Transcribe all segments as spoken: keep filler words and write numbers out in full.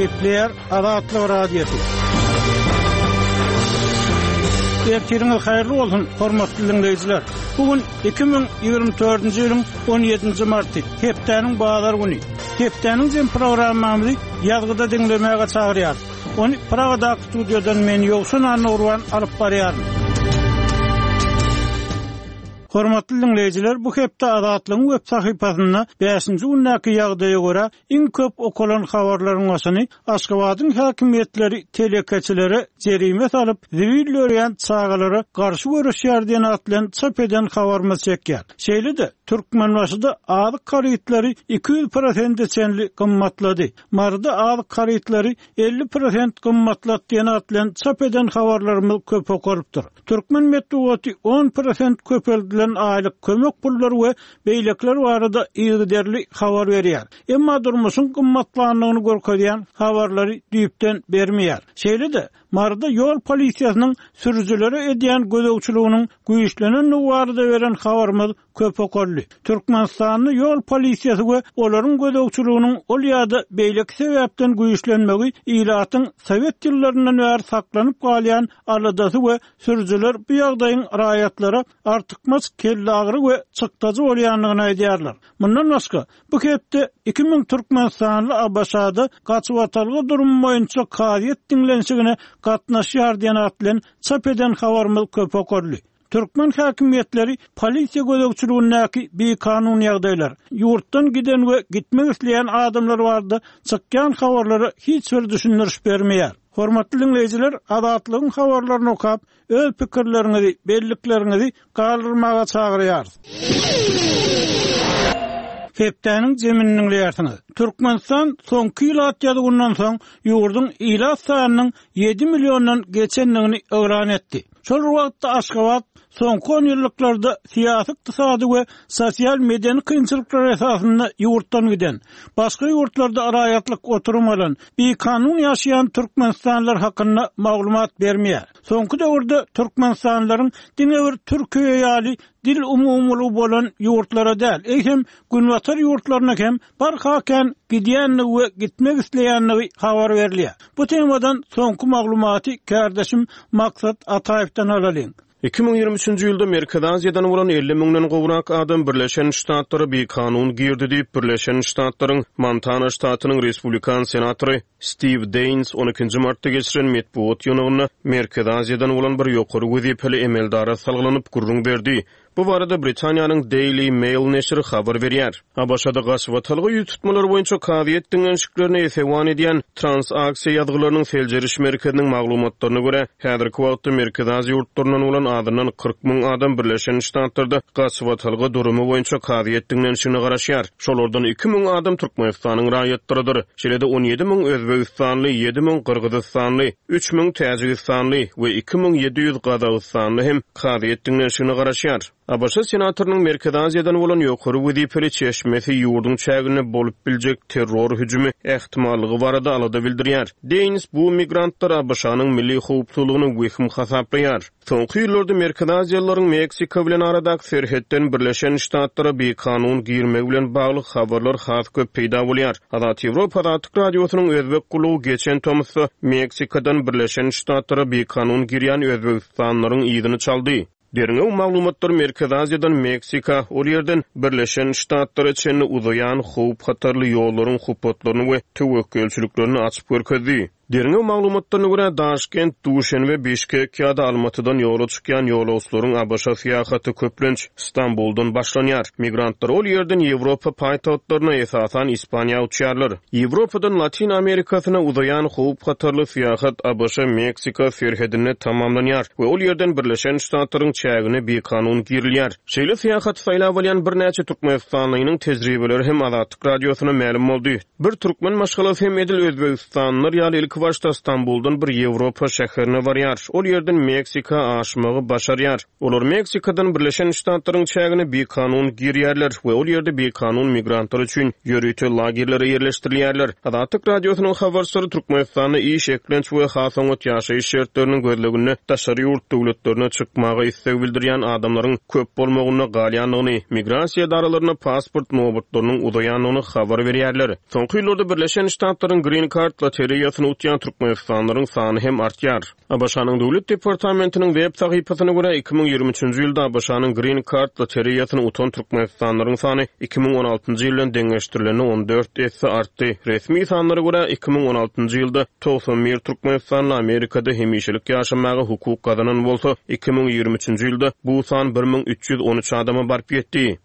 Gepleýär Azatlyk Radiosy. Ertiriňiz haýyrly bolsun, hormatly diňleýjiler. Bu gün iki müň ýigrimi dördünji ýylyň on ýedinji marty, hepdäniň bazar güni. Hepdäniň jem programmamyzy ýazgyda diňlemäge çagyrýar. Ony Pragadaky studiýadan men Ýowşan Annagurban alyp barýaryn. Hormatly diňleýjiler, bu hepde Azatlygyň web sahypasynda bäşinji gündäki ýagdaýa görä iň köp okalan habarlaryň başyny Aşgabadyň häkimiýetleri telekeçilere jerime salyp, zibil dörýän çagalara garşy görüşýär diýen at bilen çap eden habarymyz çekýär. Şeýle-de Türkmenbaşyda azyk harytlary iki ýüz prosente çenli gymmatlady. Maryda azyk harytlary elli prosent gymmatlat diýen at bilen çap eden habarlarymyz köp okalypdyr. Türkmen metbugaty on prosent köpeldilen aýlyk kömek pullary we beýlekler barada yzygiderli habar berýär. Emma durmuşyň gymmatlandygyny görkezýän habarlary düýpden bermeýär. Şeýle-de Maryda ýol polisiýasynyň sürüjilere edýän gözegçiliginiň güýçlenendigi barada beren habarymyz köp okaldy. Türkmenistanda ýol polisiýasy we olaryň gözegçiliginiň ol ýa-da beýleki sebäpden güýçlenmegi ilatyň Sowet ýyllaryndan bäri saklanyp galýan aladasy we sürüjiler bu ýagdaýyň raýatlara artykmaç kellägri we çykdajy bolýandygyny aýdýarlar. Mundan başga, bu hepde iki müň Türkmenistanly ABŞ-da gaçybatalga durumy boýunça kazyýet diňlenişigine gatnaşýar diýen at bilen çap eden habarymyz köp okaldy. Türkmen häkimiýetleri polisiýa gözegçiligindäki bikanun ýagdaýlar, ýurtdan giden we gitmek isleýän adamlar barada çykýan habarlara hiç bir düşündiriş bermeýär. Hormatly diňleýjiler, Azatlygyň habarlaryny okap, öz pikirleriňizi, bellikleriňizi galdyrmaga çagyrýarys. Hepdäniň zemini diňleýärsiňiz. Türkmenistan soňky ilat ýazygyndan soň ýurduň ilat sanynyň ýedi milliondan geçendigini yglan etdi. Şol wagtda Aşgabat soňky on ýyllyklarda syýasy, ykdysady we sosial medeni kynçylyklar esasynda ýurtdan giden, başga ýurtlarda raýatlyk oturum alan, bikanun ýaşaýan Türkmenistanlylar hakynda maglumat bermeýär. Soňky döwürde Türkmenistanlylaryň diňe bir Türkiýe ýaly dil umumylygy bolan ýurtlara däl, eýsem Günbatar ýurtlaryna hem barha kän gidýändigi we gitmek isleýändigi habar berilýär. Bu temadan soňky maglumaty kärdeşim Maksat Ataýewden alalyň. Iki müň ýigrimi üçünji ýylda Merkezi Aziýadan bolan elli müňden gowrak adam Birleşen Ştatlara bikanun girdi diýip, Birleşen Ştatlaryň Montana ştatynyň respublikan senatory Steve Daines on ikinji martda geçiren metbugat ýygnagynda Merkezi Aziýadan bolan bir ýokary wezipeli emeldara salgylanyp gürrüň berdi. Bu barada Britaniýanyň Daily Mail neşiri habar berýär. ABŞ-da gaçybatalga ýüz tutmalar boýunça kazyýet diňlenişiklerini esewan edýän transaksiýa ýazgylarynyň seljeriş merkeziniň maglumatlaryna görä, häzirki wagtda Merkezi Aziýa ýurtlaryndan bolan azyndan kyrk müň adam Birleşen Ştatlarda gaçybatalga durumy boýunça kazyýet diňlenişigine garaşýar. Şolardan iki müň adam Türkmenistanyň raýatlarydyr. Şeýle-de on ýedi müň Özbegistanly, ýedi müň Gyrgyzystanly, üç müň Täjigistanly we iki müň ýedi ýüz Gazagystanly hem kazyýet diňlenişigine garaşýar. ABŞ senatorynyň Merkezi Aziýadan bolan ýokary wezipeli çeşmesi ýurduň çäginde bolup biljek terror hüjümi ähtimallygy barada alada bildirýär. Daines bu migrantlar ABŞ-nyň milli howpsuzlygyny wehim hasaplaýar. Soňky ýyllarda Merkezi Aziýalylaryň Meksika bilen aradaky serhetden Birleşen Ştatlara bikanun girmegi bilen bagly habarlar has köp peýda bolýar. Azat Ýewropa Azatlyk Radiosynyň Özbek gullugy geçen tomusda Meksikadan Birleşen Ştatlara bikanun girýän Özbegistanlylaryň yzyny çaldy. Derňew maglumatlar Merkezi Aziýadan Meksika, ol ýerden Birleşen Ştatlara çenli uzaýan howp hatarly ýollaryň hupatlaryny we töwekgelçiliklerini açyp görkezdi. Derňew maglumatlaryna görä Daşkent, Duşenbe, Bişkek ýa-da Almatydan ýola çykýan ýolagçylaryň ABŞ syýahaty köplenç Stambuldan başlanýar. Migrantlar ol ýerden Ýewropa paýtagtlaryna, esasan Ispaniýa uçýarlar. Ýewropadan Latin Amerikasyna uzaýan howp hatarly syýahat ABŞ Meksika serhedinde tamamlanýar we ol ýerden Birleşen Ştatlaryň çägine bikanun girilýär. Şeýle syýahaty saýlap alýan birnäçe Türkmenistanlynyň tejribeleri hem Azatlyk Radiosyna mälim boldy. Bir türkmen maşgalasy hem edil Özbegistanlylar ýaly ilki ilkibaşda Stambuldan bir Ýewropa şäherine barýar, ol ýerden Meksika aşmagy başarýar. Olar Meksikadan Birleşen Ştatlaryň çägine bikanun girýärler we ol ýerde bikanun migrantlar üçin ýörite lagerlere ýerleşdirilýärler. Azatlyk Radiosynyň habarçylary Türkmenistanda iş, eklenç we has oňat ýaşaýyş şertleriniň gözleginde daşary ýurt döwletlerine çykmaga isleg bildirýän adamlaryň köp bolmagynda galýandygyny, migrasiýa edaralarynda pasport nobatlarynyň uzaýandygyny habar berýärler. Soňky ýyllarda Birleşen Ştatlaryň Green Card lotereýasyny utýan türkmenistanlylaryň sany hem artýar. ABŞ-nyň Döwlet departamentiniň web sahypasyna görä, iki müň ýigrimi üçünji ýylda ABŞ-nyň Green Card lotereýasyny utan türkmenistanlylaryň sany iki müň on altynjy ýyl bilen deňeşdirilende on dört esse artdy. Resmi sanlara görä, iki müň on altynjy ýylda togsan bir türkmenistanly Amerikada hemişelik ýaşamaga hukuk gazanan bolsa, iki müň ýigrimi üçünji ýylda bu san bir müň üç ýüz on üç adama baryp ýetdi.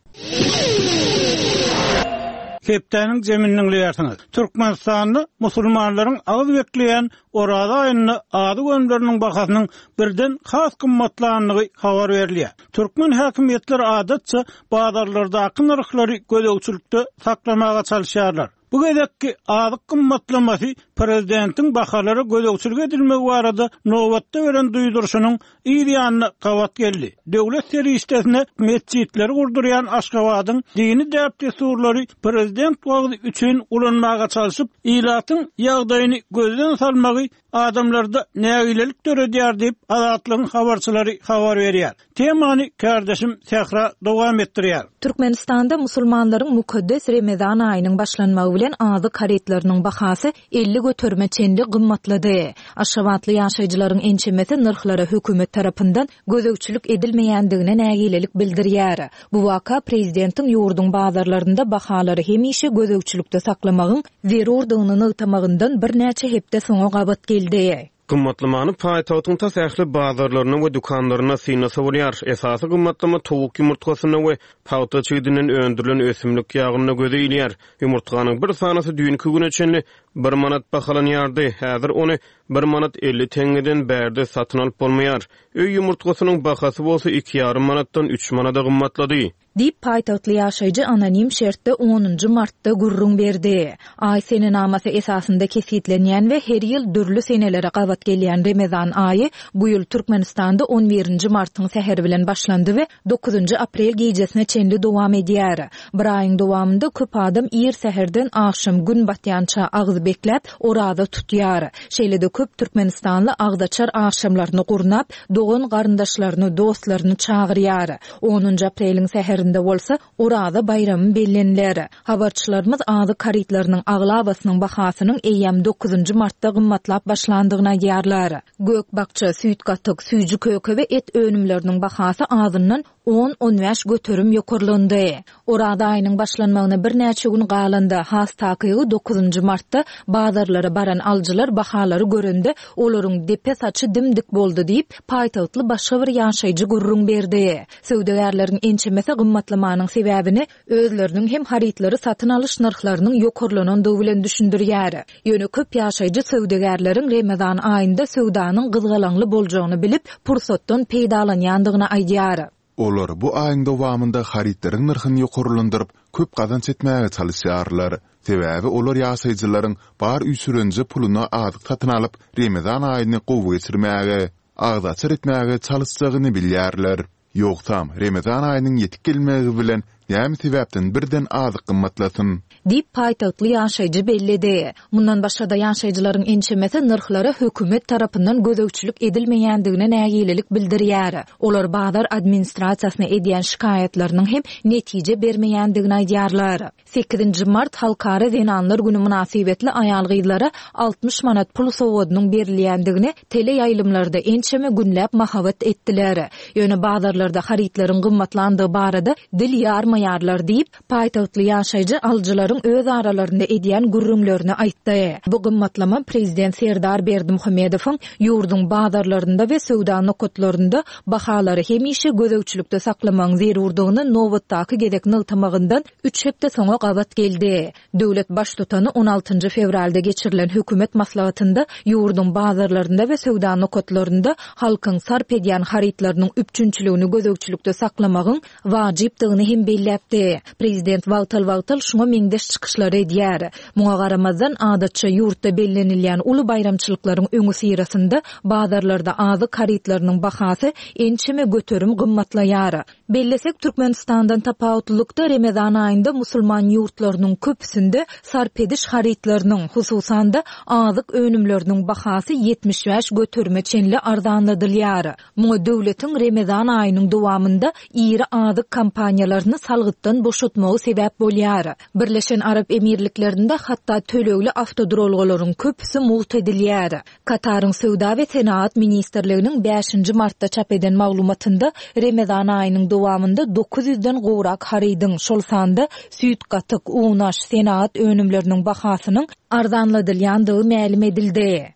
Hepdäniň zeminiň diýersiňiz. Türkmenistanda musulmanlaryň agyz bekleýän Oraza aýynda azyk önümleriniň bahasynyň birden has gymmatlandygy habar berilýär. Türkmen häkimiýetleri adatça bazarlardaky nyrhlary gözegçilikde saklamaga çalışýarlar. Bu gezekki azyk gymmatlamasy prezidentiň bahalara gözegçilik edilmegi barada nobatda beren duýduryşynyň yz ýanyna gabat geldi. Döwlet serişdesine metjitleri gurdurýan Aşgabadyň dini däp-dessurlary prezident wagty üçin ulanmaga çalışyp, ilatyň ýagdaýyny gözden salmagy adamlarda nägilelik döredýär diýip Azatlygyň habarçylary habar berýär. Temany kardeşim Sähra dowam etdirýär. Türkmenistanda musulmanlaryň mukaddes Remezan aýynyň başlanmagy bilen azyk harytlarynyň bahasy elli göterime çenli gymmatlady. Aşgabatly ýaşaýjylaryň ençemesi nyrhlara hökümet tarapyndan gözegçilik edilmeýändigine nägilelik bildirýär. Bu waka prezidentiň ýurduň bazarlarynda bahalary hemişe gözegçilikde saklamagyň zerurdygyny nygtamagyndan birnäçe hepde soňa gabat geldi. Gymmatlamany paýtagtyň tas ähli bazarlaryna we dükanlaryna synlasa bolýar. Esasy gymmatlama towuk ýumurtgasyna we pagta çigidinden öndürilen ösümlik ýagynda göze ilýär. Ýumurtganyň bir sanasy düýnki güne çenli bir manat bahalanýardy. Häzir ony bir manat elli teňňeden bärde satyn alyp bolmaýar. Öý ýumurtgasynyň bahasy bolsa iki ýarym manatdan üç manada gymmatlady. Diýip paýtagtly ýaşaýjy anonim şertde onunjy martda gürrüň berdi. Aý senenamasy esasynda kesgitlenýän we her ýyl dürli senelere gabat gelýän Remezan aýy bu ýyl Türkmenistanda on birinji martyň säheri bilen başlandy we dokuzynjy aprel gijesine çenli dowam edýär. Bir aýyň dowamynda köp adam ir säherden agşam gün batýança agyz bekläp oraza tutýar. Şeýle-de köp türkmenistanly agzaçar agşamlaryny gurnap, dogan garyndaşlaryny, dostlaryny çagyrýar. Onunjy apreliň säherinde bolsa Oraza baýramy belleniler. Habarçylarymyz azyk harytlarynyň aglabasynyň bahasynyň eýýäm dokuzynjy martda gymmatlap başlandygyny aýdýarlar. Gök bakça, süýt gatyk, süýji köke we et önümleriniň bahasy azyndan on on bäş göterim ýokarlandy. Oraza aýynyň başlanmagyna birnäçe gün galanda, has takygy dokuzynjy martda bazarlara baran alyjylar bahalary görende olaryň depe saçy dimdik boldy diýip, paýtagtly başga bir ýaşaýjy gürrüň berdi. Söwdagärleriň ençemesi gymmatlamanyň sebäbini özleriniň hem harytlary satyn alyş nyrhlarynyň ýokarlanandygy bilen düşündirýär. Ýöne köp ýaşaýjy söwdagärleriň Remezan aýynda söwdanyň gyzgalaňly boljagyny bilip, pursatdan peýdalanýandygyny aýdýar. Olar bu aýyň dowamynda harytlaryň nyrhyny ýokarlandyryp, köp gazanç etmäge çalışýarlar. Sebäbi olar ýaşaýjylaryň bar üýşürenje puluna azyk satyn alyp, Remezan aýyny gowy geçirmäge, agzaçar etmäge çalışjagyny bilýärler. Ýogsam Remezan aýynyň ýetip gelmegi bilen näme sebäpden birden azyk gymmatlasyn? Diýip paýtagtly ýaşaýjy belledi. Mundan başga-da ýaşaýjylaryň ençemesi nyrhlara hökümet tarapyndan gözegçilik edilmeýändigine nägilelik bildirýär. Olar bazar administrasiýasyna edýän şikaýatlarynyň hem netije bermeýändigini aýdýarlar. Sekizinji mart Halkara Zenanlar günü mynasybetli aýal-gyzlara altmyş manat pul sowgadynyň berilýändigini tele ýaýlymlarda ençeme günläp mahabat etdiler. Ýöne bazarlarda harytlaryň gymmatlandygy barada dil ýarmaýarlar diýip, paýtagtly ýaşaýjy alyjylaryň öz aralarynda edýän gürrüňlerini aýtdy. Bu gymmatlama prezident Serdar Berdimuhamedowyň ýurduň bazarlarynda we söwda nokatlarynda bahalary hemişe gözegçilikde saklamagyň zerurdygyny nobatdaky gezek nygtamagyndan üç hepde soňa gabat geldi. Döwlet baştutany on altynjy fewralda geçirilen hökümet maslahatynda ýurduň bazarlarynda we söwda nokatlarynda halkyň sarp edýän harytlarynyň üpjünçiligini gözegçilikde saklamagyň wajypdygyny hem belledi. belläpdi. Prezident wagtal-wagtal şuňa meňzeş çykyşlary edýär. Muňa garamazdan, adatça ýurtda bellenilýän uly baýramçylyklaryň öňüsyrasynda bazarlarda azyk harytlarynyň bahasy ençeme göterim gymmatlaýar. Bellesek, Türkmenistandan tapawutlylykda Remezan aýynda musulman ýurtlarynyň köpüsinde sarp ediş harytlarynyň, hususan-da, azyk önümleriniň bahasy ýetmiş bäş göterime çenli arzanladylýar. Muňa döwletiň Remezan aýynyň dowamynda iri azyk kompaniýalaryny salgytdan boşatmagy sebäp bolýar. Birleşen Arap Emirliklerinde hatda tölegli awtoduralgalaryň köpüsi mugt edilýär. Kataryň Söwda we senagat ministrliginiň bäşinji martda çap eden maglumatynda Remezan aýynyň dowamynda dokuz ýüzden gowrak harydyň, şol sanda süýt-gatyk, unaş, senagat önümleriniň bahasynyň arzanladylýandygy mälim edildi.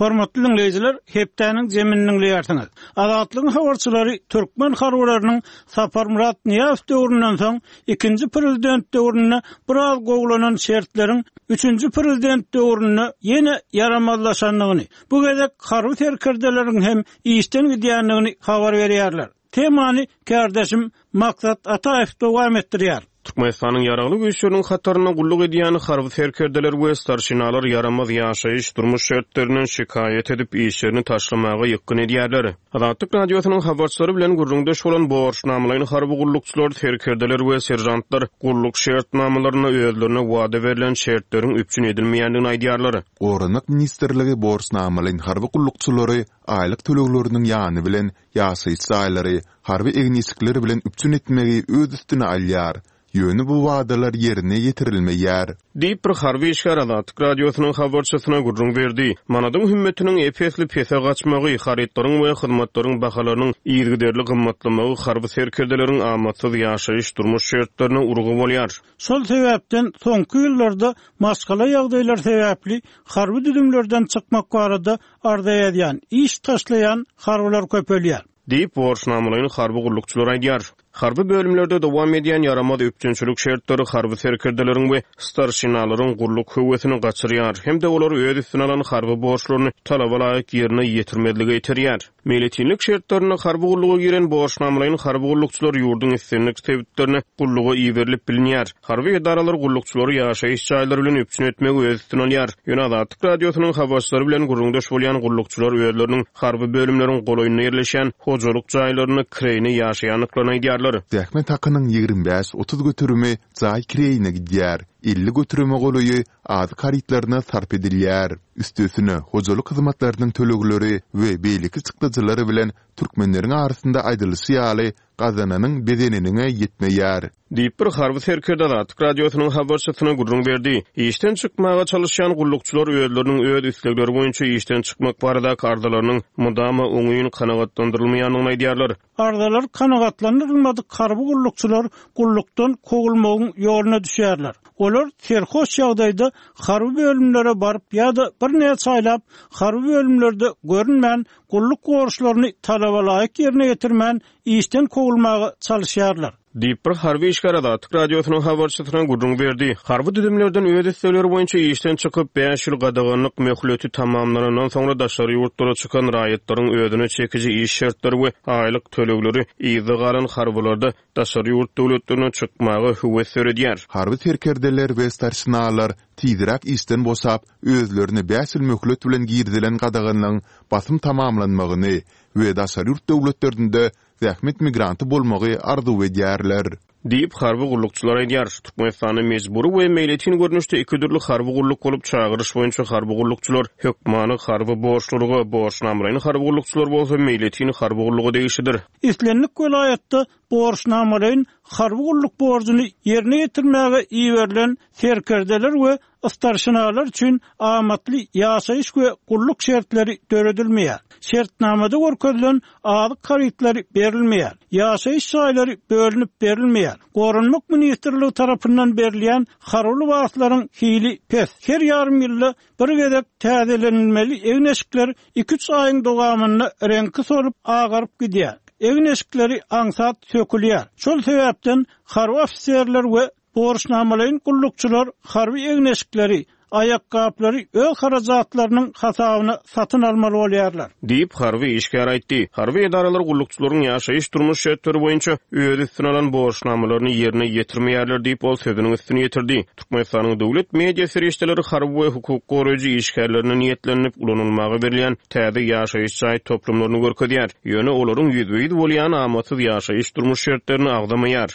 Hormatly diňleýjiler, hepdäniň jemini diňleýärsiňiz. Azatlygyň habarçylary türkmen harbylarynyň Saparmyrat Nyýazow döwründen soň ikinji prezident döwründe biraz gowulanan şertleriň üçünji prezident döwründe ýene ýaramazlaşandygyny, bu gezek harby serkerdeleriň hem işden gidýändigini habar berýärler. Temany kärdeşim Maksat Ataýew dowam etdirýär. Türkmenistanyň Ýaragly Güýçleriniň hatarynda gulluk edýän harby serkerdeler we starşinalar ýaramaz ýaşaýyş, durmuş şertlerinden şikaýat edip, işlerini taşlamaga ýykgyn edýärler. Azatlyk Radiosynyň habarçylary bilen gürrüňdeş bolan borçnamalaýyn harby gullukçylar, serkerdeler we seržantlar gulluk şertnamalarynda özlerine wada berlen şertleriň üpjün edilmeýändigini aýdýarlar. Goranmak ministrligi borçnamalaýyn harby gullukçylary aýlyk tölegleriniň ýany bilen ýaşaýyş jaýlary, harby egin-eşikler bilen üpjün etmegi öz üstüne alýar. Ýöne bu wadalar ýerine ýetirilmeýär. Diýip, bir harby işgär Azatlyk Radiosynyň habarçysyna gürrüň berdi. Manadyň hümmetiniň ep-esli pese gaçmagy, harytlaryň we hyzmatlaryň bahalarynyň yzygiderli gymmatlamagy harby serkerdeleriň amatsyz ýaşaýyş-durmuş şertlerine urgy bolýar. Şol sebäpden soňky ýyllarda maşgala ýagdaýlary sebäpli harby düzümlerden çykmak barada arza ýazýan, iş taşlaýan harbylar köpelýär. Diýip, borçnamalaýyn harby gullukçylar aýdýar. Harby bölümlerde dowam edýän ýaramaz üpjünçilik şertleri harby serkerdeleriň we starşinalaryň gulluk höwesini gaçyrýar hem-de olary öz üstüne alan harby borçlaryny talaba laýyk ýerine ýetirmezlige iterýär. Meýletinlik şertlerinde harby gulluga giren borçnamalaýyn harby gullukçylar ýurduň islendik sebitlerine gulluga iberilip bilinýär. Harby edaralar gullukçylary ýaşaýyş jaýlary bilen üpjün etmegi öz üstüne alýar. Ýöne Azatlyk Radiosynyň habarçylary bilen gürrüňdeş bolýan gullukçylar özleriniň harby bölümleriň golaýynda ýerleşýän hojalyk jaýlarynda kireýine ýaşaýandyklaryny aýdýarlar. Zähmet hakynyň ýigrimi bäş-otuz göterimi jaý kireýine gidýär, elli göterime golaýy azyk harytlaryna sarp edilýär. Üstesine, hojalyk hyzmatlarynyň tölegleri we beýleki çykdajylary bilen türkmenleriň arasynda aýdylyşy ýaly, gazananyň bezeniniňe ýetmeýär. Diýip, bir harby serkerde Azatlyk Radiosynyň habarçysyna gürrüň berdi. Işden çykmaga çalyşýan gullukçylar özleriniň öz islegleri boýunça işden çykmak baradaky arzalarynyň mydama oňyn kanagatlandyrylmaýandygyny aýdýarlar. Arzalar kanagatlandyrylmadyk harby gullukçylar gullukdan kowulmagyň ýoluna düşýärler. Olar serhoş ýagdaýda harby bölümlere baryp ýa-da birnäçe aýlap harby bölümlerde görünmän, gulluk borçlaryny talaba laýyk ýerine ýetirmän işden kowulmaga çalyşýarlar. Diýip, bir harby işgär Azatlyk Radiosynyň habarçysyna gürrüň berdi. Harby düzümlerden öz islegleri boýunça işden çykyp, bäş ýyl gadaganlyk möhleti tamamlanandan soňra daşary ýurtlara çykan raýatlaryň özüne çekiji iş şertleri we aýlyk tölegleri yzda galan harbylarda daşary ýurt döwletlerine çykmaga höwes döredýär. Harby serkerdeler we starşinalar tizräk işden boşap, özlerine bäş ýyl möhlet bilen girizilen gadaganlygyň basym tamamlanmagyny we daşary ýurt döwletlerinde zähmet migranty bolmagy arzuw edýärler. Diýip, harby gullukçylar aýdýar. Türkmenistanda mejbury we meýletin görnüşde iki dürli harby gulluk bolup, çagyryş boýunça harby gullukçylar hökmany harby borçlulyga, borçnamalaýyn harby gullukçylar bolsa meýletin harby gulluga degişlidir. Islendik welaýatda borçnamalaýyn harby gulluk borjuny ýerine ýetirmäge iberilen serkerdeler we starşinalar üçin amatly ýaşaýyş we gulluk şertleri döredilmeýär. Şertnamada görkezilen azyk harytlary berilmeýär. Ýaşaýyş jaýlary bölünip berilmeýär. Goranmak ministrligi tarapyndan berilýän harby lybaslaryň hili pes. Her ýarym ýylda bir gezek täzelenilmeli egin-eşikler iki-üç aýyň dowamynda reňki solup, agaryp gidýär. Egin-eşikleri aňsat sökülýär. Şol sebäpden harby ofiserler we borçnamalaýyn gullukçylar harby egin-eşikleri, aýakgaplary öz harajatlarynyň hasabyna satyn almaly bolýarlar. Diýip, harby işgär aýtdy. Harby edaralar gullukçylaryň ýaşaýyş-durmuş şertleri boýunça öz üstüne alan borçnamalaryny ýerine ýetirmeýärler diýip, ol sözüniň üstüni ýetirdi. Türkmenistanyň döwlet media serişdeleri harby we hukuk goraýjy işgärlerine niýetlenilip ulanylmaga berilýän täze ýaşaýyş jaý toplumlaryny görkezýär. Ýöne olaryň ýüzbe-ýüz bolýan amatsyz ýaşaýyş-durmuş şertlerini agzamaýar.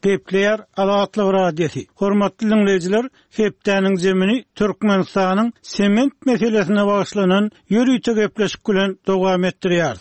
Gepleýär Azatlyk Radiosy. Hormatly diňleýjiler, hepdäniň zemini Türkmenistanyň sement meselesine bagyşlanan ýörite gepleşik bilen dowam etdirýär.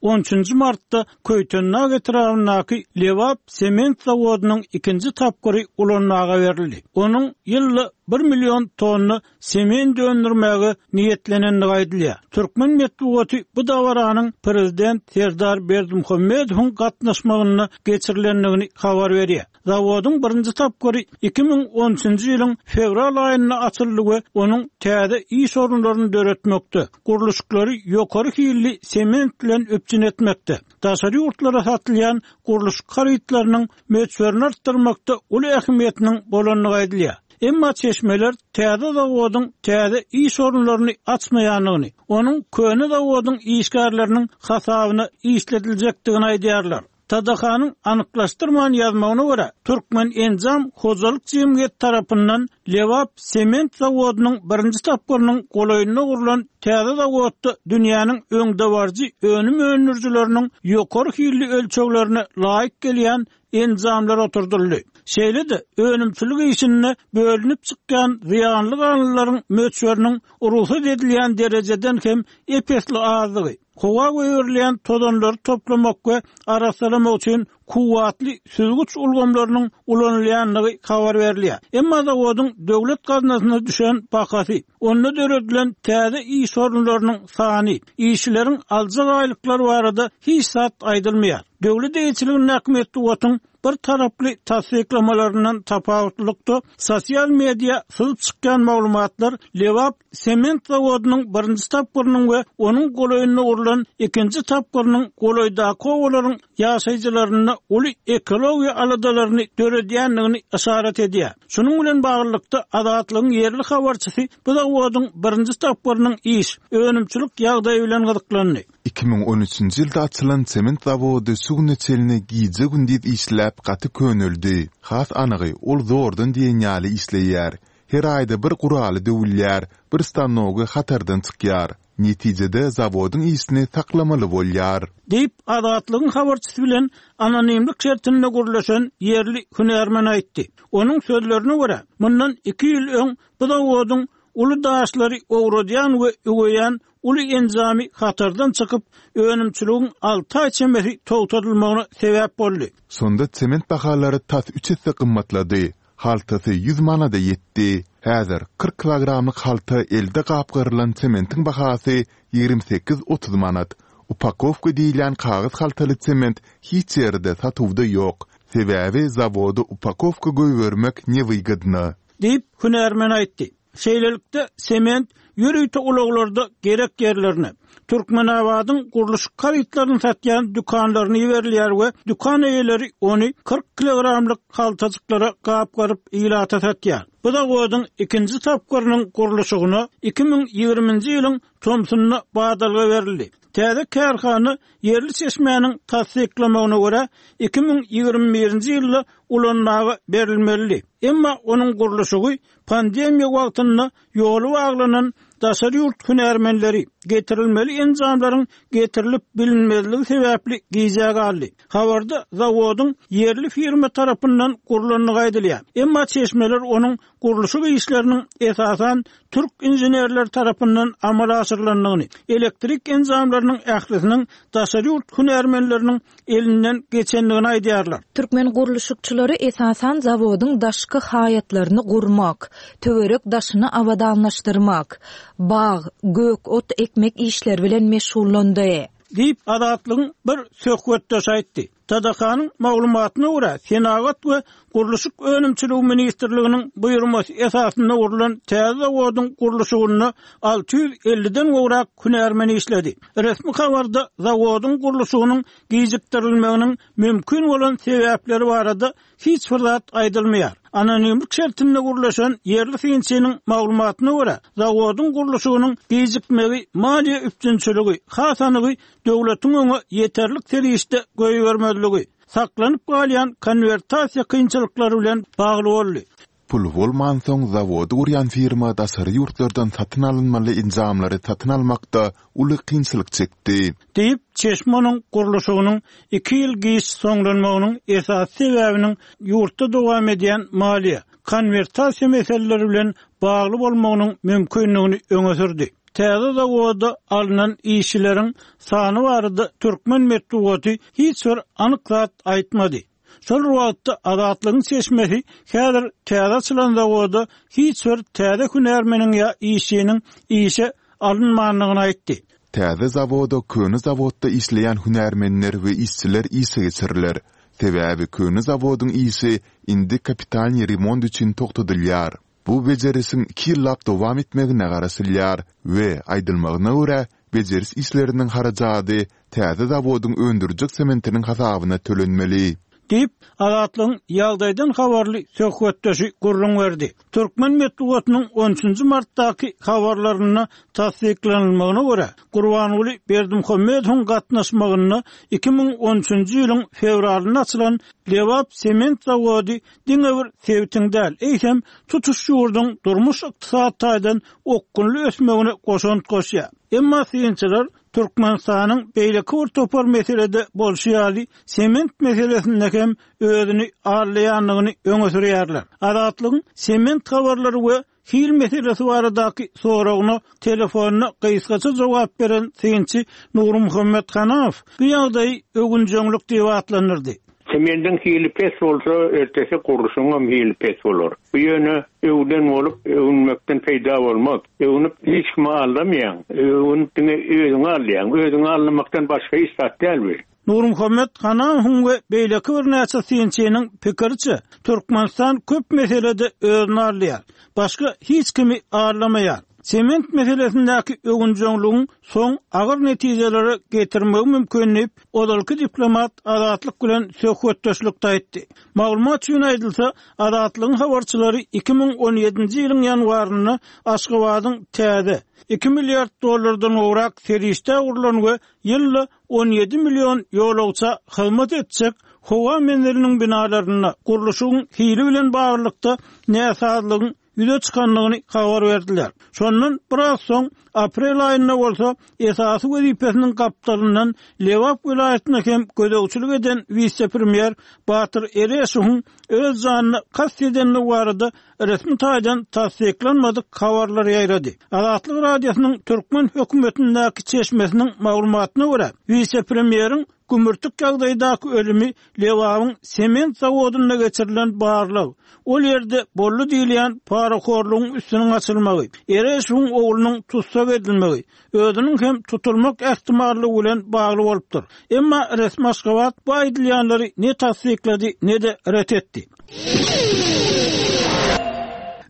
On üçünji martda Köýtendag etrabyndaky Lebap sement zawodynyň ikinji tapgyry ulanmaga berildi. Onuň ýylda bir million tonna sement öndürmäge niýetlenendigi aýdylýar. Türkmen metbugaty bu dabaranyň prezident Serdar Berdimuhamedowyň gatnaşmagynda geçirilendigini habar berýär. Zawodyň birinji tapgyry iki müň on üçünji ýylyň fewral aýynda açyldy we onuň täze iş orunlaryny döretmekde, gurluşyklary ýokary hilli sement bilen üpjün etmekde, daşary ýurtlara satylýan gurluşyk harytlarynyň möçberini artdyrmakda uly ähmiýetiniň bolandygy aýdylýar. Emma çeşmeler täze zawodyň täze iş orunlaryny açmaýandygyny, onuň köne zawodyň işgärleriniň hasabyna işlediljekdigini aýdýarlar. Tadahanyň anyklaşdyrman ýazmagyna görä, Türkmen Enjam hojalyk jemgyýeti tarapyndan Lebap sement zawodynyň birinji tapgyrynyň golaýynda gurlan täze zawodda dünýäniň öňdebaryjy önüm öndürijileriniň ýokary hilli ölçeglerine laýyk gelýän enjamlar oturdyldy. Şeýle-de önümçilik işinde bölünip çykýan zyýanly galyndylaryň möçberiniň rugsat edilýän derejeden hem epesli azdygy, howa goýberilýän tozanlary toplamak we arassalamak üçin kuwwatly süzgüç ulgamlarynyň ulanylýandygy habar berilýär. Emma zawodyň döwlet gaznasyna düşen bahasy, onda döredilen täze iş orunlarynyň sany, işçileriň aljak aýlyklary barada hiç zat aýdylmaýar. Döwlet eýeçiligindäki metbugatyň bir taraply tassyklamalaryndan tapawutlylykda sosial media syzyp çykýan maglumatlar Lebap sement zawodynyň birinji tapgyrynyň we onuň golaýynda gurlan ikinji tapgyrynyň golaýdaky obalaryň ýaşaýjylarynda uly ekologiýa aladalaryny döredýändigini yşarat edýär. Şunuň bilen baglylykda Azatlygyň ýerli habarçysy bu zawodyň birinji tapgyrynyň iş, önümçilik ýagdaýy bilen gyzyklandy. Iki müň on üçünji ýylda açylan sement zawody şu güne çenli gije-gündiz işläp gaty köneldi. Has anygy ol zordan diýen ýaly işleýär. Her aýda bir guraly döwülýär, bir stanogy hatardan çykýar. Netijede zawodyň işini saklamaly bolýar. Diýip, Azatlygyň habarçysy bilen anonimlik şertinde gurlaşan ýerli hünärmen aýtdy. Onuň sözlerine görä, mundan iki ýyl öň bu zawodyň uly daşlary owradýan we üweýän uly enjamy hatardan çykyp, önümçiligiň alty aý çemesi togtadylmagyna sebäp boldy. Şonda sement bahalary tas üç esse gymmatlady. Haltasy ýüz manada ýetdi. Häzir kyrk kilogramlyk halta elde gapgarylan sementiň bahasy ýigrimi sekiz otuz manat. Upakowka diýilýän kagyz haltaly sement hiç ýerde satuwda ýok. Sebäbi zawoda upakowka goýbermek newygodno. Diýip, hünärmen aýtdy. Şeýlelikde sement ýörite ulaglarda gerek ýerlerine, Türkmenabadyň gurluşyk harytlaryny satýan dükanlaryny iberilýär we dükan eýeleri ony kyrk kilogramlyk haltajyklara gapgaryp ilata satýar. Bu zawodyň ikinji tapgyrynyň gurluşygyna iki müň ýigriminji ýylyň tomsunda badalga berildi. Täze kärhana ýerli çeşmäniň tassyklamagyna görä iki müň ýigrimi birinji ýylda ulanmaga berilmeli. Emma onuň gurluşygy pandemiýa wagtynda ýoly baglanan daşary ýurt hünärmenleri getirilmeli enjamlaryň getirilip bilinmezligi sebäpli gijä galdy. Habarda zawodyň ýerli firma tarapyndan gurlandygy aýdylýar. Emma çeşmeler onuň gurluşyk işleriniň esasan türk inženerler tarapyndan amala aşyrylandygyny, elektrik enjamlarynyň ählisiniň daşary ýurt hünärmenleriniň elinden geçendigini aýdýarlar. Türkmen gurluşykçylary esasan zawodyň daşky haýatlaryny gurmak, töwerek daşyny abadanlaşdyrmak, bag, gök ot ekmek işleri bilen meşgullandy. Diýip, Azatlygyň bir söhbetdeşi aýtdy. T D K-nyň maglumatyna görä, Senagat we gurluşyk önümçiligi ministrliginiň buýurmasy esasynda gurlan täze zawodyň gurluşygynda alty ýüz elliden gowrak hünärmen işledi. Resmi habarda zawodyň gurluşygynyň gijikdirilmeginiň mümkin bolan sebäpleri barada hiç bir zat aýdylmaýar. Anonimlik şertinde gurlaşan ýerli synçynyň maglumatyna görä, zawodyň gurluşygynyň gijikmegi maliýe üpjünçiligi, has anygy döwletiň öňe ýeterlik serişde goýbermezligi, saklanyp galýan konwertasiýa kynçylyklary bilen bagly boldy. Pul bolmansoň, zawody gurýan firma daşary ýurtlardan satyn alynmaly enjamlary satyn almakda uly kynçylyk çekdi. Diýip, çeşme onuň gurluşygynyň iki ýyl giç soňlanmagynyň esasy sebäbiniň ýurtda dowam edýän maliýe, konwertasiýa meseleleri bilen bagly bolmagynyň mümkindigini öňe sürdi. Täze zawoda alnan işçileriň sany barada türkmen metbugaty hiç bir anyk zat aýtmady. Şol wagtda Azatlygyň çeşmesi häzir täze açylan zawoda hiç bir täze hünärmeniň ýa işçiniň işe alynmandygyny aýtdy. Täze zawoda köne zawodda işleýän hünärmenler we işçiler işe geçiriler. Sebäbi köne zawodyň işi indi kapitalnyý remont üçin togtadylýar. Bu bejerişiň iki ýyllap dowam etmegine garaşylýar we aýdylmagyna görä, bejeriş işleriniň harajady täze zawodyň öndürjek sementiniň hasabyna tölenmeli. Diýip, Azatlygyň ýagdaýdan habarly söhbetdeşi gürrüň berdi. Türkmen metbugatynyň on üçünji martdaky habarlarynda tassyklanylmagyna görä, Gurbanguly Berdimuhamedowyň gatnaşmagynda iki müň on üçünji ýylyň fewralynda açylan Lebap sement zawody diňe bir sebitiň däl, eýsem tutuş ýurduň durmuş-ykdysady taýdan okgunly ösmegine goşant goşýar. Emma synçylar Türkmenistanyň beýleki bir topar meselede bolşy ýaly sement meselesinde hem özüni aldaýandygyny öňe sürýärler. Azatlygyň sement habarlary we hil meselesi baradaky soragyna telefonda gysgaça jogap beren synçy Nurmuhammet Hanamow bu ýagdaýy öwünjeňlik diýip atlandyrdy. Semendiň hili pes bolsa, ertesi gurluşyň hili pes bolar. Bu ýöne öwden bolup, öwünmekden peýda bolmaz. Öwünip hiç kimi aldamaýaň. Öwünip diňe özüňi alýaň. Özüňi aldamakdan başga hiç zat däl bu. Nurmuhammet Hanamowyň we beýleki birnäçe synçynyň pikiriçe, Türkmenistan köp meselede özüni alýar. Başga hiç kimi aldamaýar. Sement meselesindäki öwünjeňligiň soň agyr netijelere getirmegi mümkin diýip, ozalky diplomat Azatlyk bilen söhbetdeşlikde aýtdy. Maglumat üçin aýdylsa, Azatlygyň habarçylary iki müň on ýedinji ýylyň ýanwarynda Aşgabadyň täze iki milliard dollardan gowrak serişde gurlan we ýylda on ýedi million ýolagça hyzmat etjek howa menziliniň binalarynda gurluşygyň hili bilen baglylykda näsazlygyň ýüze çykandygyny habar berdiler. Şondan biraz soň aprel aýynda bolsa esasy wezipesiniň gapdalyndan Lebap welaýatyna hem gözegçilik eden wise-premýer Batyr Ereşowyň öz janyna kast edendigi barada resmi taýdan tassyklanmadyk habarlar ýaýrady. Azatlyk Radiosynyň türkmen hökümetindäki çeşmesiniň maglumatyna görä, wise-premýeriň gümürtik ýagdaýdaky ölümi Lebabyň sement zawodynda geçirilen barlag, ol ýerde boldy diýilýän parahorlugyň üstüniň açylmagy, Ereşowyň oglunyň tussag edilmegi, özüniň hem tutulmak ähtimallygy bilen bagly bolupdyr. Emma resmi Aşgabat bu aýdylýanlary ne tassyklady, ne de ret etdi.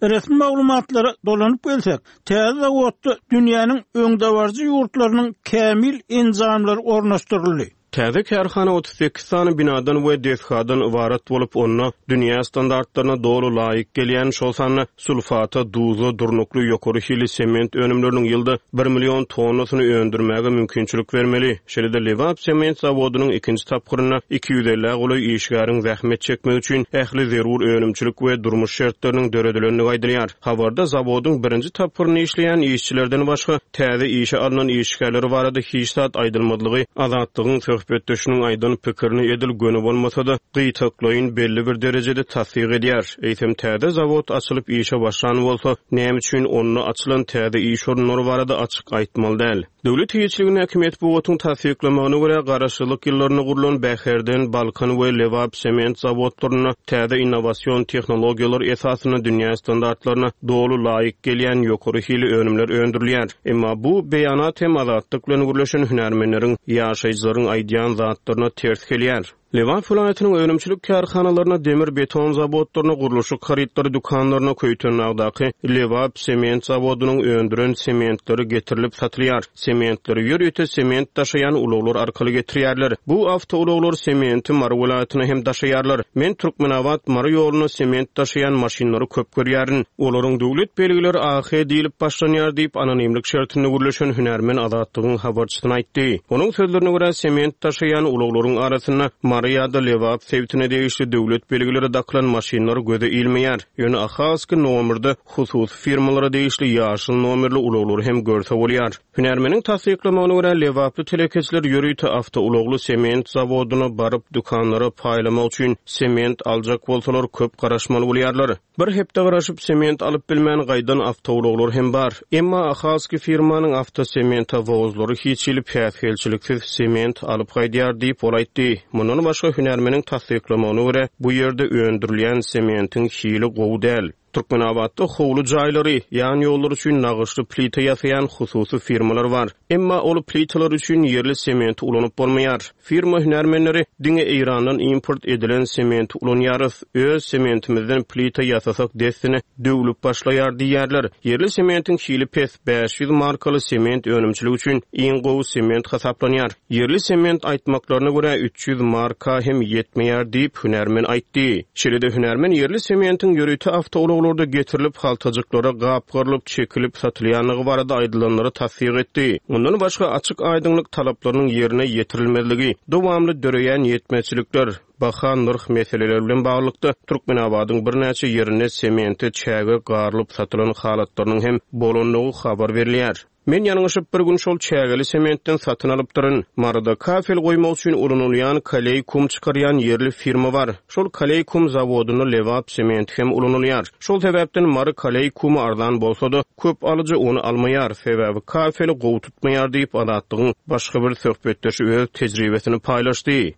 Resmi maglumatlara dolanyp gelsek, täze zawodda dünýäniň öňdebaryjy ýurtlarynyň kämil enjamlary ornaşdyryldy. Täze kärhana otuz sekiz sany binadan we desgadan ybarat bolup, onda dünýä standartlaryna doly laýyk gelýän, şol sanda sulfata, duza durnukly ýokary hili sement önümleriniň ýylda bir million tonnasyny öndürmäge mümkinçilik bermeli. Şeýle-de Lebap sement zawodynyň ikinji tapgyrynda iki ýüz elli golaý işgäriň zähmet çekmegi üçin ähli zerur önümçilik we durmuş şertleriniň döredilendigi aýdylýar. Habarda zawodyň birinji tapgyrynda işleýän işçilerden başga täze işe alynan işgärler barada hiç zat aýdylmadygy Azatlygyň söhbetdeşiniň aýdan pikirini edil göni bolmasa-da, gytaklaýyn belli bir derejede tassyk edýär. Eýsem täze zawod açylyp işe başlan bolsa, näme üçin onda açylan täze iş orunlary barada açyk aýtmaly däl? Döwlet eýeçiligindäki metbugatyň tassyklamagyna görä, garaşsyzlyk ýyllarynda gurlan Bäherden, Balkan we Lebap sement zawodlarynda täze innowasion tehnologiýalar esasynda dünýä standartlaryna doly laýyk gelýän ýokary hili önümler öndürilýär. Emma bu beýanat hem Azatlyk bilen gürleşen hünärmenleriň, ýaşaýjylaryň aýdýan zatlaryna ters gelýär. Lebap welaýatynyň önümçilik kärhanalaryna, demir beton zawodlaryna, gurluşyk harytlary dükanlaryna Köýtendagdaky Lebap sement zawodynyň öndüren sementleri getirilip satylýar. Sementleri ýörite sement daşaýan ulaglar arkaly getirýärler. Bu awtoulaglar sementi Mary welaýatyna hem daşaýarlar. Men Türkmenabat Mary ýoluna sement daşaýan maşynlary köp görýärin. Olaryň döwlet belgileri A H diýlip başlanýar diýip anonimlik şertinde gürleşen hünärmen Azatlygyň habarçysyna aýtdy. Onuň sözlerine görä sement daşaýan ulaglaryň arasynda Mary ýa-da Lebap sebitine degişli döwlet belgileri dakylan maşynlar göze ilmeýär. Ýöne Ahalski nomerde hususy firmalara degişli ýaşyl nomerli ulaglary hem görse bolýar. Hünärmeniň tassyklamagyna görä Lebaply telekeçiler ýörite awtoulagly sement zawodyna baryp dükanlara paýlamak üçin sement aljak bolsalar köp garaşmaly bolýarlar. Bir hepde garaşyp sement alyp bilmän gaýdan awtoulaglar hem bar. Emma Ahalski firmanyň awtosementa wozlary hiç hili päsgelçiliksiz sement alyp gaýdýar diýip ol aýtdy. Mundan başga hünärmeniň tassyklamagyna görä bu ýerde öndürilýän sementiň hili gowy däl. Türkmenabatda howly jaýlary, ýan ýollar üçin nagyşly plita ýasaýan hususy firmalar bar. Emma ol plitalar üçin ýerli sementi ulanyp bolmaýar. Firma hünärmenleri diňe Eýrandan import edilen sementi ulanýarys. Öz sementimizden plita ýasasak dessine döwlüp başlaýar diýýärler. Ýerli sementiň hili pes, bäş ýüz markaly sement önümçiligi üçin iň gowy sement hasaplanýar. Ýerli sement aýtmaklaryna görä üç ýüz marka hem ýetmeýär diýip hünärmen aýtdy. Şeýle-de hünärmen ýerli sementiň ýörite awtoulaglarda getirilip haltajyklara gapgarylyp çekilip satylýanlygy barada aýdylanlary tassyk etdi. Mundan başga açyk aýdyňlyk talaplarynyň ýerine ýetirilmezligi, dowamly döreýän ýetmezçilikler, baha nyrh meseleleri bilen baglylykda Türkmenabadyň birnäçe ýerinde semente çäge garylyp satylan halatlarynyň hem bolandygy habar berilýär. Men ýalňyşyp bir gün şol çägeli sementden satyn alypdyryn. Maryda kafel goýmak üçin ulanylýan kaleý kum çykarýan ýerli firma bar. Şol kaleý kum zawodynda Lebap sementi hem ulanylýar. Şol sebäpden Mary kaleý kumy arzan bolsa-da köp alyjy ony almaýar. Sebäbi kafeli gowy tutmaýar diýip Azatlygyň başga bir söhbetdeşi öz tejribesini paýlaşdy.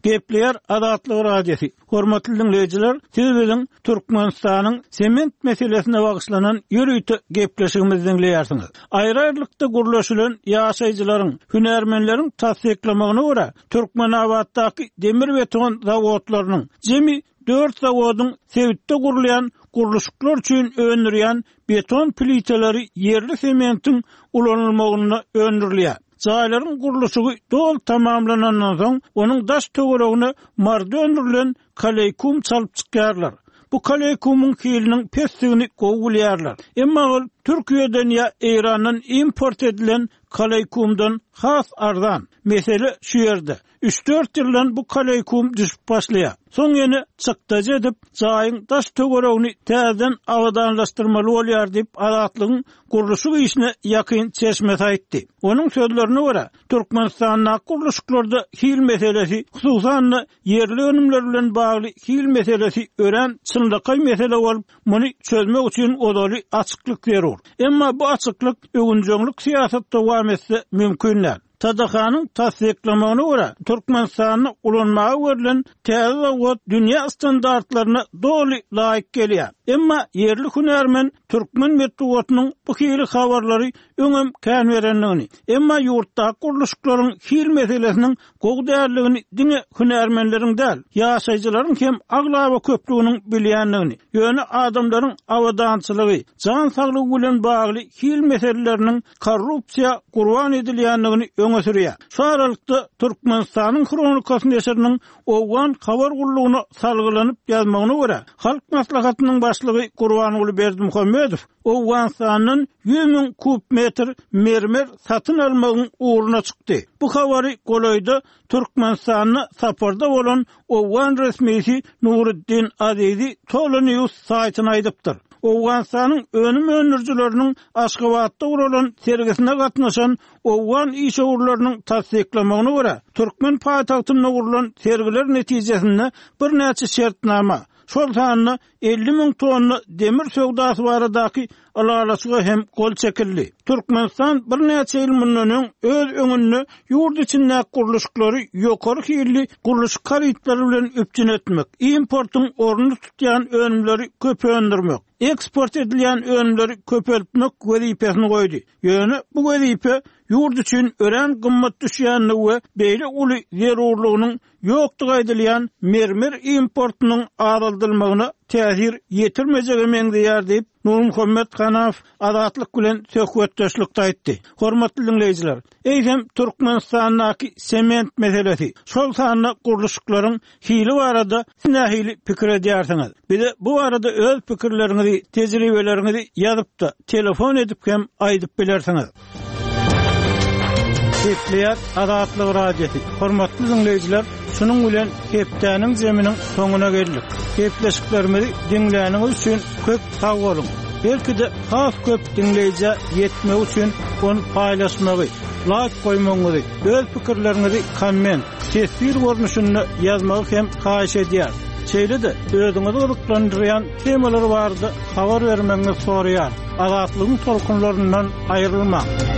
Gepleýär Azatlyk Radiosy. Hormatly dinleýjiler, siz biziň Türkmenistanyň sement meselesine bagyşlanan ýörite gepleşigimizi dinleýärsiňiz. Aýry-aýrylykda gurluşylan ýaşaýjylaryň, hünärmenleriň tassyklamagyna görä, Türkmenabatdaky demir beton zawodlarynyň jemi dört zawodyň sebitde gurulýan gurluşyklar üçin öndürýän beton plitaları ýerli sementiň ulanylmagyna öndürilýär. Jaýlaryň gurluşygy doly tamamlanandan soň, onuň daş töweregine Maryda öndürilen kaleýkum çalyp çykýarlar. Bu kaleýkumyň hiliniň pesligini gowy bilýärler. Emma ol Türkiýeden ýa Eýrandan import edilen kaleýkumdan has arzan. Mesele şu ýerde. Üç-dört ýyldan bu kaleýkum düşüp başlaýar. Soň ýene çykdajy edip, jaýyň daş töweregini täzeden abadanlaşdyrmaly bolýar diýip Azatlygyň gurluşyk işine ýakyn çeşmesi aýtdy. Onuň sözlerine görä, Türkmenistanda gurluşyklarda hil meselesi, hususan-da ýerli önümler bilen bagly hil meselesi örän çynlakaý mesele bolup, muny çözmek üçin ozaly açyklyk zerur. Emma bu açyklyk öwünjeňlik syýasat dowam etse mümkin däl. Tadahanyň tassyklamagyna görä, Türkmenistanda ulanmaga berlen täze zawod dünýä standartlaryna doly laýyk gelýär. Emma ýerli hünärmen türkmen metbugatynyň bu hili habarlary öňem kän berendigini, emma ýurtdaky gurluşyklaryň hil meselesiniň gowy däldigini diňe hünärmenleriň däl, ýaşaýjylaryň hem aglaba köplüginiň bilýändigini, ýöne adamlaryň abadançylygy, jan saglygy bilen bagly hil meseleleriniň korrupsiýa gurban edilýändigini öňe sürýär. Şu aralykda Türkmenistanyň Hronikasy neşiriniň Owgan habar gullugyna salgylanyp ýazmagyna görä, Halk Maslahatynyň başlygy Gurbanguly Berdimuhamedow Owganystandan ýüz müň kub metr mermer satyn almagyň ugruna çykdy. Bu habary golaýda Türkmenistanda saparda bolan Owgan resmisi Nuruddin Azizi Tolo News saýtyna aýdypdyr. Owganystanyň önüm öndürijileriniň Aşgabatda guralan sergisine gatnaşan owgan işewürleriniň tassyklamagyna görä, türkmen paýtagtynda gurlan sergiler netijesinde birnäçe şertnama, şol sanda elli müň tonna demir söwdasy baradaky ylalaşyga hem gol çekildi. Türkmenistan birnäçe ýyl mundan öň öz öňünde ýurt içindäki gurluşyklary ýokary hilli gurluşyk harytlary bilen üpjün etmek, importyň ornuny tutýan önümleri köp öndürmek, eksport edilýän önümleri köpeltmek wezipesini goýdy. Ýöne bu wezipe ýurt üçin örän gymmat düşýändigi we beýle uly zerurlygynyň ýokdugy aýdylýan mermer importynyň azaldylmagyna täsir ýetirmejege meňzeýär diýip, Nurmuhammet Hanaw Azatlyk bilen söhbetdeşlikde aýtdy. Hormatly diňleýjiler, eýsem Türkmenistandaky sement meselesi, şol sanda gurluşyklaryň hili barada siz nähili pikir edýärsiňiz? Bize bu barada öz pikirleriňizi, tejribeleriňizi ýazyp-da, telefon edip hem aýdyp bilersiňiz. Gepleýär Azatlyk Radiosy. Hormatly diňleýjiler, şunuň bilen hepdäniň zeminiň soňuna geldik. Gepleşiklerimizi diňläniňiz üçin köp sag boluň. Belki-de has köp diňleýjä ýetmek üçin ony paýlaşmagy, laýk goýmagyňyzy, öz pikirleriňizi komment, teswir görnüşinde ýazmagy hem haýyş edýär. Şeýle-de özüňizi gyzyklandyrýan temalar barada habar bermegiňizi soraýar. Azatlygyň tolkunlaryndan aýrylmaň.